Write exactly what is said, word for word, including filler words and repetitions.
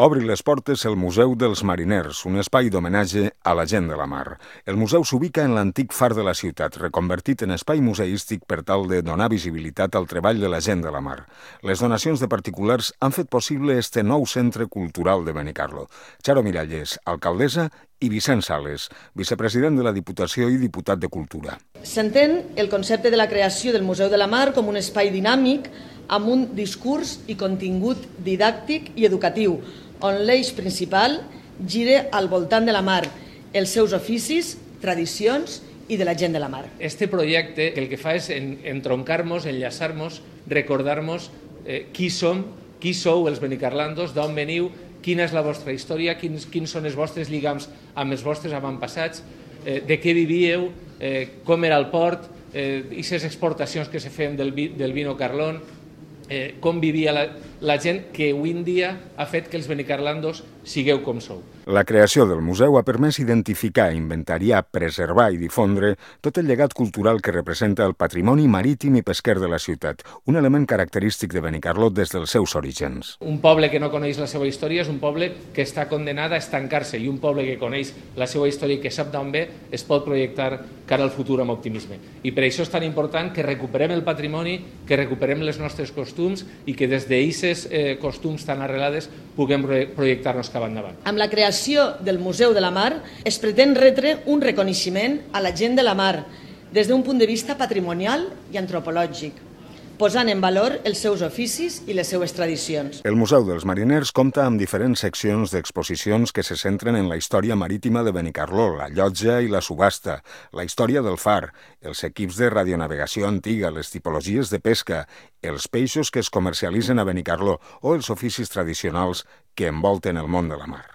Obri les portes el Museu dels Mariners, un espai d'homenatge a la gent de la mar. El museu s'ubica en l'antic far de la ciutat, reconvertit en espai museístic per tal de donar visibilitat al treball de la gent de la mar. Les donacions de particulars han fet possible este nou centre cultural de Benicarló. Charo Miralles, alcaldessa, i Vicent Sales, vicepresident de la Diputació i diputat de Cultura. S'entén el concepte de la creació del Museu de la Mar com un espai dinàmic amb un discurs i contingut didàctic i educatiu, on l'eix principal gira al voltant de la mar, els seus oficis, tradicions i de la gent de la mar. Este projecte el que fa és entroncar-nos, enllaçar-nos, recordar-nos eh, qui som, qui sou els benicarlandos, d'on veniu, quina és la vostra història, quins, quins són els vostres lligams amb els vostres avantpassats, eh, de què vivíeu, eh, com era el port, eh, i les exportacions que se feien del, vi, del vino Carlón, eh, com vivia la, la gent que avui en dia ha fet que els benicarlandos sigueu com sou. La creació del museu ha permès identificar, inventariar, preservar i difondre tot el llegat cultural que representa el patrimoni marítim i pesquer de la ciutat, un element característic de Benicarló des dels seus orígens. Un poble que no coneix la seva història és un poble que està condenat a estancar-se, i un poble que coneix la seva història i que sap d'on ve es pot projectar cara al futur amb optimisme. I per això és tan important que recuperem el patrimoni, que recuperem les nostres costums i que des d'aquests eh, costums tan arrelades puguem projectar-nos cap endavant. Amb la creació del Museu de la Mar es pretén retre un reconeixement a la gent de la mar des d'un punt de vista patrimonial i antropològic, posant en valor els seus oficis i les seues tradicions. El Museu dels Mariners compta amb diferents seccions d'exposicions que se centren en la història marítima de Benicarló, la llotja i la subhasta, la història del far, els equips de radionavegació antiga, les tipologies de pesca, els peixos que es comercialitzen a Benicarló o els oficis tradicionals que envolten el món de la mar.